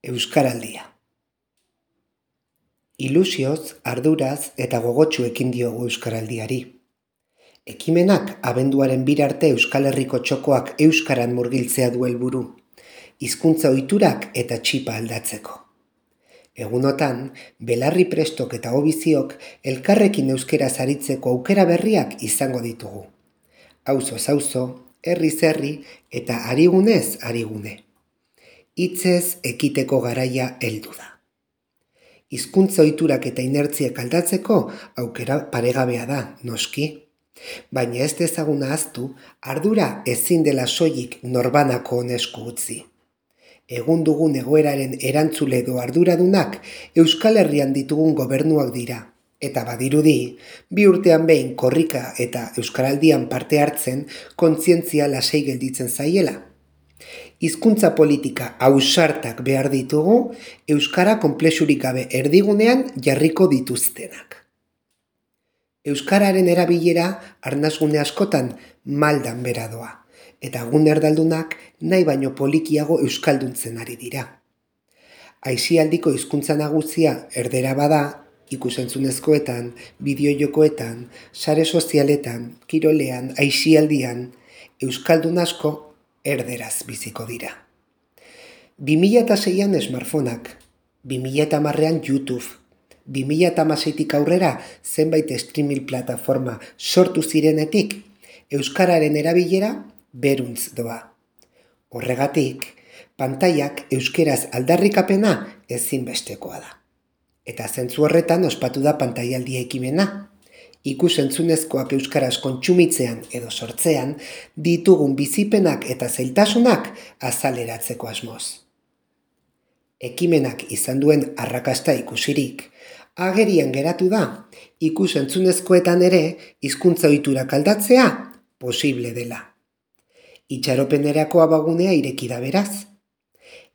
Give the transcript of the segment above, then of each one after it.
Euskaraldia. Ilusioz, arduraz eta gogotsu ekin diogu euskaraldiari. Ekimenak abenduaren 2 arte Euskal Herriko txokoak euskaran murgiltzea du helburu, hizkuntza ohiturak eta txipa aldatzeko. Egunotan, belarri prestok eta obiziok elkarrekin euskaraz aritzeko aukera berriak izango ditugu. Auzoz auzo, herriz herri eta harigunez harigune. Hitzez ekiteko garaia heldu da. Hizkuntza ohiturak eta inertziak aldatzeko aukera paregabea da, noski. Baina ez dezagun ahaztu, ardura ezin dela soilik norbanako esku utzi. Egun dugun egoeraren erantzule edo arduradunak Euskal Herrian ditugun gobernuak dira. Eta badirudi, 2 urtean behin korrika eta euskaraldian parte hartzen kontzientzia lasai gelditzen zaiela. Hizkuntza politika ausartak behar ditugu, euskara konplexurik gabe erdigunean jarriko dituztenak. Euskararen erabilera arnasgune askotan maldan bera doa, eta gune erdaldunak nahi baino polikiago euskalduntzen ari dira. Aisialdiko hizkuntza nagusia erdera bada, ikusentzunezkoetan, bideojokoetan, sare sozialetan, kirolean, aisialdian, euskaldun asko erderaz biziko dira. 2006an smartphoneak, 2010an YouTube, 2016tik aurrera zenbait streaming plataforma sortu zirenetik, euskararen erabilera beruntz doa. Horregatik, pantailak euskeraz aldarrikapena ezinbestekoa da. Eta zentzu horretan ospatu da pantailaldia ekimena. Ikus-entzunezkoak euskaraz kontsumitzean edo sortzean ditugun bizipenak eta zailtasunak azaleratzeko asmoz. Ekimenak izan duen arrakasta ikusirik, agerian geratu da ikus-entzunezkoetan ere hizkuntza ohiturak aldatzea posible dela. Itxaropenerako abagunea ireki da beraz.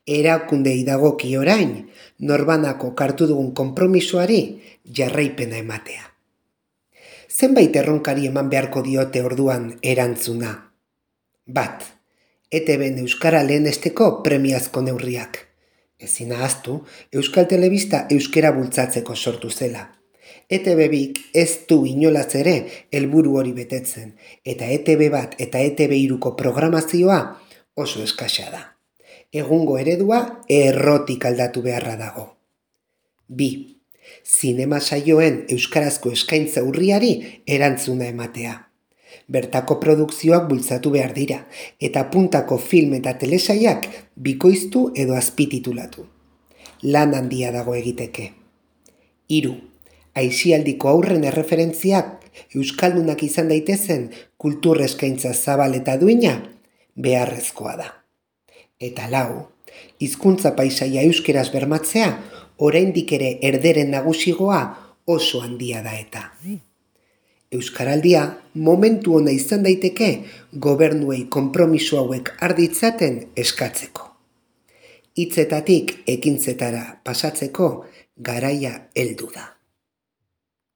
Erakundei dagoki orain norbanako hartu dugun konpromisoari jarraipena ematea. Zenbait erronkari eman beharko diote orduan erantzuna. 1. ETBn euskara lehenesteko premiazko neurriak. Ezin ahaztu, Euskal Telebista euskara bultzatzeko sortu zela. ETB2 ez du inolaz ere helburu hori betetzen, eta ETB1 eta ETB3ko programazioa oso eskasa da. Egungo eredua errotik aldatu beharra dago. 2. Zinema saioen euskarazko eskaintza urriari erantzuna ematea. Bertako produkzioak bultzatu behar dira, eta puntako film eta telesaiak bikoiztu edo azpititulatu. Lan handia dago egiteke. 3. Aisialdiko aurren erreferentziak euskaldunak izan daitezen kultur eskaintza zabal eta duina beharrezkoa da. Eta 4. Hizkuntza paisaia euskeraz bermatzea oraindik ere erderen nagusigoa oso handia da eta. Euskaraldia momentu ona izan daiteke gobernuei konpromiso hauek arditzaten eskatzeko. Hitzetatik ekintzetara pasatzeko garaia heldu da.